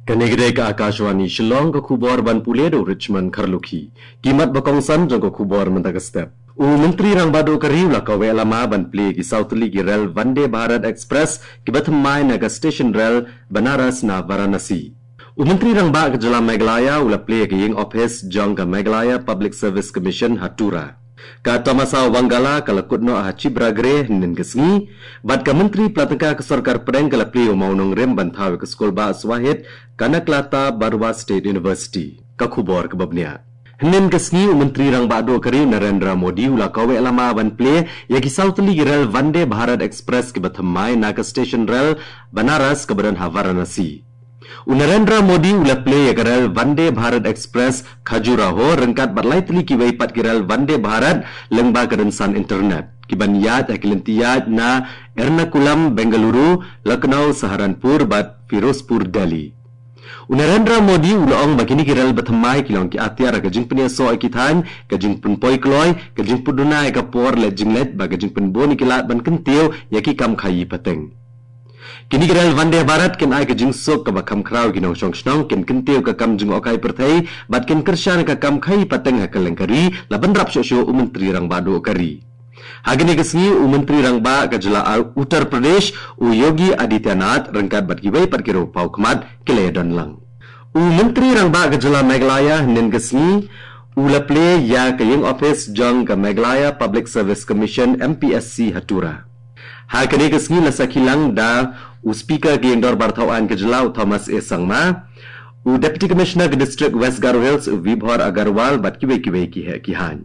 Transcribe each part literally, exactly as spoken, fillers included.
Kane ka dei ka Akashvani Shillong, ka khubor ban pule da u Richmond Kharlukhi. Ki mat ba kongsan jong ka khubor mynta ka step. U Myntri Rangbah Duh ka ri u la kaweh lama ban plie ki saw tylli ki rel Vande Bharat Express kiba thymmai na ka station rel Banaras na Varanasi. U Myntri Rangbah ka jylla Meghalaya u la plie ka ïing ophis jong ka Meghalaya Public Service Commission ha Tura. Ka tamasa Wangala ka la kut noh ha Chibragre hynnin ka sngi, bad ka Myntri Pla Tyngka ka Sorkar Pdeng ka la plie u mawnongrim ban thaw ïa ka skulbah Swahid Kanaklata Barua State University. Ka khubor kaba bniah. Hynnin ka sngi u Myntri Rangbah Duh ka ri u Narendra Modi u la kaweh lama ban plie ïa ki saw tylli ki rel Vande Bharat Express kiba thymmai na ka station rel Banaras kaba don ha Varanasi. U Narendra Modi u la plie ïa ka rel Vande Bharat Express Khajuraho ryngkat bad lai tylli kiwei pat ki rel Vande Bharat lyngba ka rynsan internet, kiban ïaid ha ki lynti ïaid na Ernakulam Bengaluru, Lucknow Saharanpur bad Firozpur Delhi. U Narendra Modi u la ong ba kine ki rel ba thymmai ki long ki atiar ha ka jingpynïasoh ïa ki thaiñ, ka jingpynpoi kloi, ka jingpynduna ïa ka por leit jingleit bad ka jingpynbun ïa ki lad ban kyntiew ïa ki kam khaïi pateng. Kine ki rel Vande Bharat kin ai ka jingsuk kaba kham khraw ïa ki nongshong shnong, kin kyntiew ka kam jngohkai pyrthei bad kin kyrshan ïa ka kam khaïi pateng ha kylleng ka ri, la bynrap shuh shuh u Myntri Rangbah Duh ka ri. Ha kane ka sngi u Myntri Rangbah ka jylla Uttar Pradesh u Yogi Adityanath ryngkat bad kiwei pat ki riewpaw khmat ki la ïadon lang. U Myntri Rangbah ka jylla Meghalaya hynnin ka sngi u la plie ïa ka ïing ophis jong ka Meghalaya Public Service Commission, M P S C, ha Tura. Ha kane ka sngi la sakhi lang da u Speaker ka ïing dorbar thaw aiñ ka jylla u Thomas A Sangma, u Deputy Commissioner ka District West Garo Hills u Vibhor Agarwal bad kiwei kiwei ki heh ki haiñ.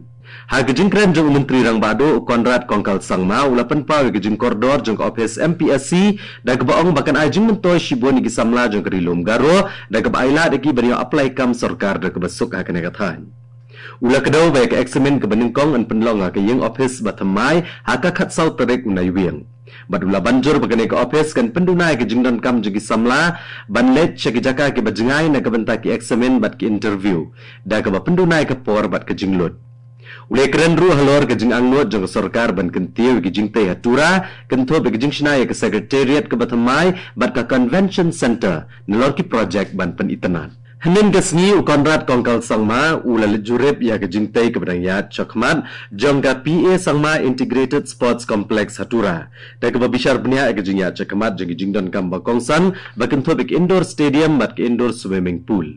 Ha ka jingkren jong u Myntri Rangbah Duh u Conrad Kongkal Sangma u la pynpaw ïa ka jingkordor jong ka ophis M P S C da kaba ong ba kan ai jingmyntoi shibun ïa ki samla jong ka Ri Lum Garo da kaba ai lad ïa ki ban ïoh apply kam sorkar da kaba suk ha kane ka thaiñ. U la kdew ba ïa ka eksamin kaba nyngkong yn pynlong ha ka ïing ophis ba thymmai ha ka khatsaw tarik u Naiwieng. Bad u la ban jur ba kane ka ophis kan pynduna ïa ka jingdonkam jong ki samla ban leit sha ki jaka kiba jngai na ka bynta ki eksamin bad ki interview, da kaba pynduna ïa ka por bad ka jinglut. U la kren ruh halor ka jingangnud jong ka sorkar ban kyntiew ïa ki jingtei ha Tura, kynthup ïa ka jingshna ïa ka Secretariat kaba thymmai bad ka Convention Centre nalor ki projek ban pynitynnad. Hynnin ka sngi u Conrad Kongkal Sangma u la leit jurip ïa ka jingtei kaba dang ïaid shakhmat jong ka P A Sangma Integrated Sports Complex ha Tura, da kaba bishar bniah ïa ka jingïaid shakhmat jong ki jingdonkam ba kongsan ba kynthup ïa ka indoor stadium bad ka indoor swimming pool.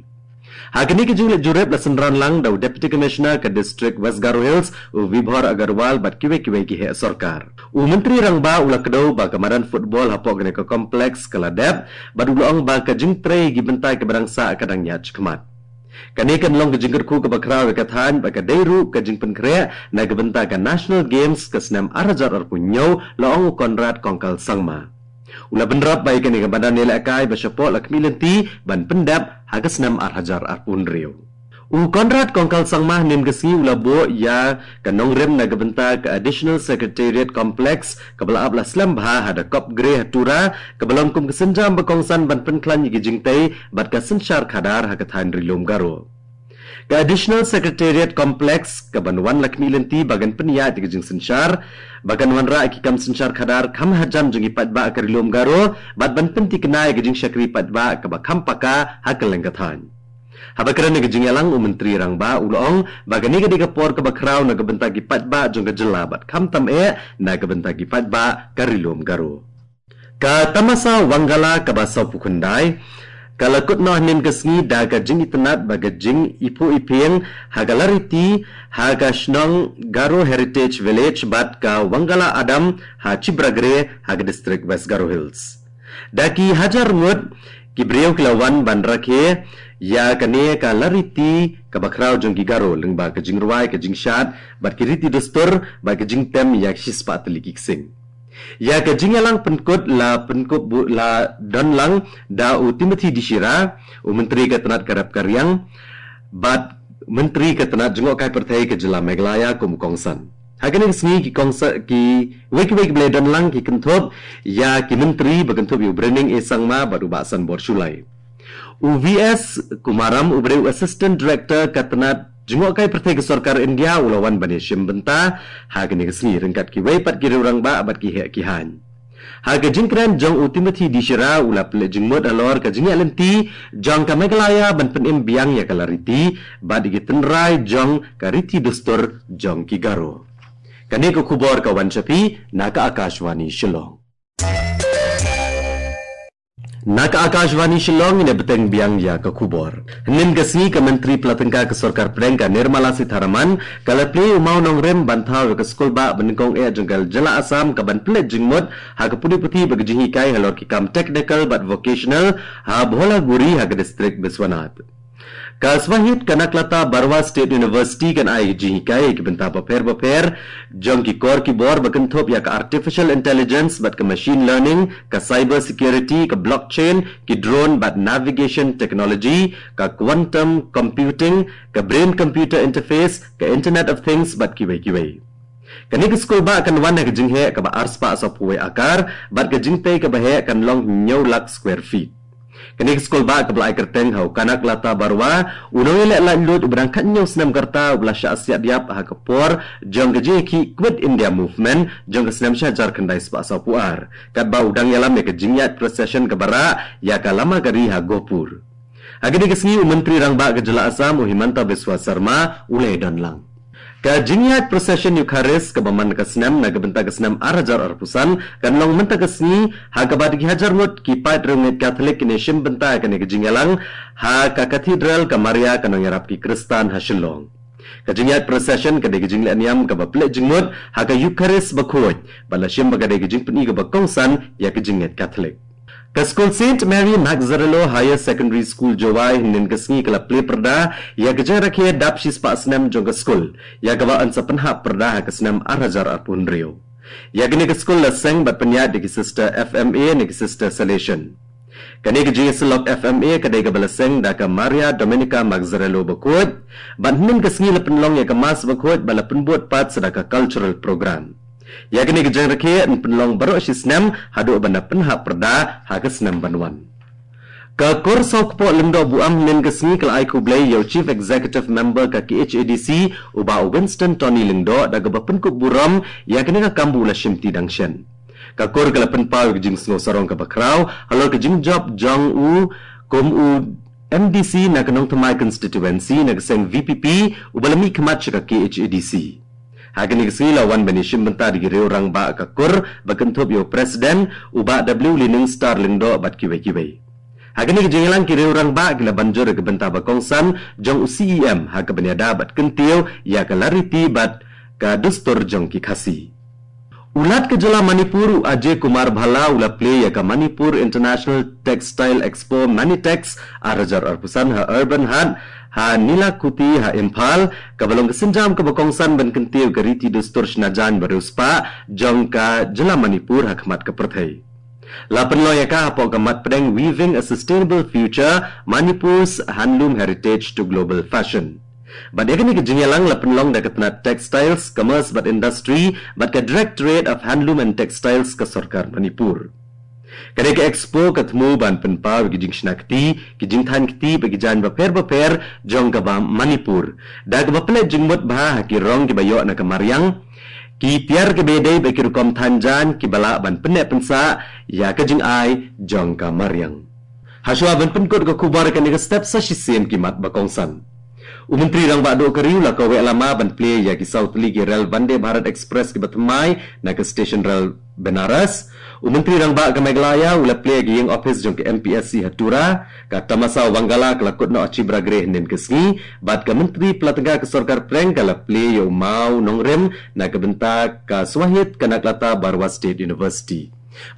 Ha kane ka jingleit jurip la synran lang da u Deputy Commissioner ka District West Garo Hills u Vibhor Agarwal bad kiwei kiwei ki heh sorkar. U Myntri Rangbah u la kdew ba ka madan football hapoh kane ka complex ka la dep, bad u la ong ba ka jingtrei ïa ki bynta kiba dang sah ka dang ïaid shakhmat. Kane kan long ka jingkyrkhu kaba khraw ïa ka thaiñ bad ka dei ruh ka jingpynkhreh na ka bynta ka National Games ka snem ar hajar arphew hynñiew, la ong u Conrad Kongkal Sangma. U la bynrap ba ïa kane ka madan ïalehkai ba shapoh la khmih lynti ban pyndep ha ka snem ar hajar arphew hynriew. U Conrad Kongkal Sangma hynnin ka sngi u la buh ïa ka nongrim na ka bynta ka Additional Secretariat Complex kaba la ap la slem bha ha Da Kopgre ha Tura, kaba long kum ka sienjam ba kongsan ban pynkhlaiñ ïa ki jingtei bad ka synshar khadar ha ka thaiñ Ri Lum Garo. Ka Additional Secretariat Complex kaban wan la khmih lynti ba kan pynïaid ïa ka jingsynshar, ba kan wanrah ïa ki kam synshar khadar kham hajan jong ki paidbah ka Ri Lum Garo bad ban pynthikna ïa ka jingshakri paidbah kaba kham paka ha kylleng ka thaiñ. Haba kren ïa ka jingïalang u Myntri Rangbah u la ong ba kane ka dei ka por kaba khraw na ka bynta ki paidbah jong ka jylla bad khamtam eh na ka bynta ki paidbah ka Ri Lum Garo. Ka tamasa Wangala kaba sawphew khyndai ka la kut noh hynnin ka sngi da ka jingitynnad bad ka jingiphuh iphieng ha ka lariti ha ka shnong Garo Heritage Village bad ka Wangala Adam ha Chibragre ha ka district West Garo Hills. Da ki hajar ngut ki briew ki la wan ban rakhe ïa kane ka lariti kaba khraw jong ki Garo lyngba ka jingrwai, ka jingshad bad ki riti dustur bad ka jingtem ïa ki shispah tylli ki ksing. Ïa ka jingïalang pynkut la pynkup bu-, la don lang da u Timothy D Shira, u Myntri ka tnat ka rep ka riang bad Myntri ka tnat jngohkai pyrthei ka jylla Meghalaya kum u kongsan. Ha kane ka sngi ki kongsan, kiwei kiwei kiba la don lang ki kynthup ïa ki Myntri ba kynthup ïa u Brening A Sangma bad u Bah Sanbor Shullai. U V S Kumaram uba dei u Assistant Director ka tnat jngohkai pyrthei ka sorkar India u la wan ban ïashim bynta ha kane ka sngi ryngkat kiwei pat ki riew rangbah bad ki heh ki haiñ. Ha ka jingkren jong u Timothy D Shira u la pynleit jingmut halor ka jingïaid lynti jong ka Meghalaya ban pynim biang ïa ka la riti bad ïa ki tynrai jong ka riti dustur jong ki Garo. Kane ka khubor ka wan sha phi na ka Akashvani Shillong. Na ka Akashvani Shillong ngin ïa bteng biang ïa ka khubor. Hynnin ka sngi ka Myntri Pla Tyngka ka Sorkar Pdeng ka Nirmala Sitharaman ka la plie u mawnongrim ban thaw ïa ka skulbah banyngkong eh jong ka jylla Assam ka ban pynleit jingmut ha ka pule puthi bad ka jinghikai halor ki kam technical bad vocational ha Bholaguri ha ka district Biswanath. Ka Swahid Kanaklata Barua State University kan ai jinghikai ïa ki bynta bapher bapher jong ki kor ki bor ba kynthup ïa ka artificial intelligence bad ka machine learning, ka cyber security, ka blockchain, ki drone bad navigation technology, ka quantum computing, ka brain computer interface, ka Internet of Things bad kiwei kiwei. Kane ka skulbah kan wan ha ka jingheh kaba arspah sawphew wei akar bad ka jingtei kaba heh kan long hynñiew lak square feet. Kane ka skulbah kaba la ai kyrteng ha u Kanaklata Barua, u nongïaleh laitluid uba dang khathynñiew snem ka rta uba la shah siat ïap ha ka por jong ka jingïakhih Quit India Movement jong ka snem shihajar khyndai spah sawphew ar. Katba u dang ïalam ïa ka jingïaid procession kaba rah ïa ka lama ka ri ha Gohpur. Ha kane ka sngi u Myntri Rangbah ka jylla Assam u Himanta Biswa Sarma u la ïadon lang. Ka jingïaid procession Eucharist kaba man ka snem na ka bynta ka snem ar hajar arphew san kan long mynta ka sngi ha kaba da ki hajar ngut ki paid riewngeit Katholik kin ïashim bynta ha kane ka jingïalang ha ka Cathedral ka Maria ka nongïarap ki Khristan ha Shillong. Ka jingïaid procession ka dei ka jingleh niam kaba pynleit jingmut ha ka Eucharist bakhuid bad la shim ba ka dei ka jingpyni kaba kongsan ïa ka jingngeit Katholik. Ka skul Saint Mary Mazzarello Higher Secondary School Jowai hynnin ka sngi ka la plie pyrda ïa ka jingrakhe dap shispah snem jong ka skul, ïa kaba yn sa pynhap pyrda ha ka snem ar hajar arphew hynriew. Ïa kane ka skul la seng bad pynïaid da ki sister F M A ne ki sister Salesian. Kane ka jingïasyllok F M A ka dei kaba la seng da ka Maria Domenica Mazzarello bakhuid bad hynnin ka sngi la pynlong ïa ka Mass bakhuid bad la pynbud pat sa da ka cultural program. Ïa kane ka jingrakhe yn pynlong baroh shi snem haduh ban da pynhap pyrda ha ka snem ban wan. Ka Kur Sawkpoh Lyngdoh Buaid hynnin ka sngi ka la ai khublei ïa u Chief Executive Member ka K H A D C u Bah Winston Tony Lyngdoh da kaba pynkup burom ïa kane ka kam ba u la shimti dang shen. Ka Kur ka la pynpaw ïa ka jingsngew sarong kaba khraw halor ka jingjop jong u kum u M D C na ka Nongthymmai Constituency na ka seng V P P uba la mihkhmat sha ka K H A D C. Ha kane ka sngi la wan ban ïashim bynta da ki riew rangbah ka Kur ba kynthup ïa u President u Bah W Liningstar Lyngdoh bad kiwei kiwei. Ha kane ka jingïalang ki riew rangbah ki la ban jur ïa ka bynta ba kongsan jong u C E M ha kaba ïada bad kyntiew ïa ka la riti bad ka dustur jong ki Khasi. U Lat ka jylla Manipur u Ajay Kumar Bhalla u la plie ïa ka Manipur International Textile Expo Manitex ar hajar arphew san ha Urban Haat ha Nilakuthi ha Imphal, kaba long ka sienjam kaba kongsan ban kyntiew ka riti dustur shna jaiñ ba riewspah jong ka jylla Manipur ha khmat ka pyrthei. La pynlong ïa ka hapoh ka mat pdeng Weaving a Sustainable Future, Manipur's Handloom Heritage to Global Fashion. Bad ïa kane ka jingïalang la pynlong da ka tnat Textiles, Commerce bad Industry bad ka Directorate of Handloom and Textiles ka Sorkar Manipur. Kane ka expo ka thmu ban pynpaw ïa ki jingshna kti, ki jingthaiñ kti bad ki jaiñ bapher bapher jong ka Manipur, da kaba pynleit jingmut bha ha ki rong kiba ïoh na ka mariang, ki tiar kiba ïadei bad ki rukom thaiñ jaiñ kiba lah ban pynneh pynsah ïa ka jingai jong ka mariang. Hashwa ban pynkut ka khubor, kane ka step sa shisien ki mat ba kongsan. U Myntri Rangbah Duh ka Ri u la kaweh lama ban plie ïa ki saw tylli ki rel Vande Bharat Express kiba thymmai na ka station rel Banaras. U Myntri Rangbah ka Meghalaya u la plie ïa ka ïing ophis jong ka M P S C ha Tura. Ka Tamasa Wangala ka la kut noh ha Chibragre hynnin ka sngi bad ka Myntri Pla Tyngka ka Sorkar Pdeng ka la plie ïa u mawnongrim na ka bynta ka Swahid Kanaklata Barua State University.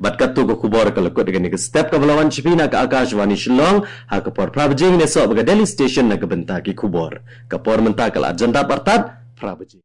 Bad katto ka khubor ka la kut ïa kane ka step kaba la wan sha phi na ka Akashvani Shillong. Ha ka por phra baje ngin ïasoh bad ka Delhi Station na ka bynta ki khubor. Ka por mynta ka la jan dap artat phra baje.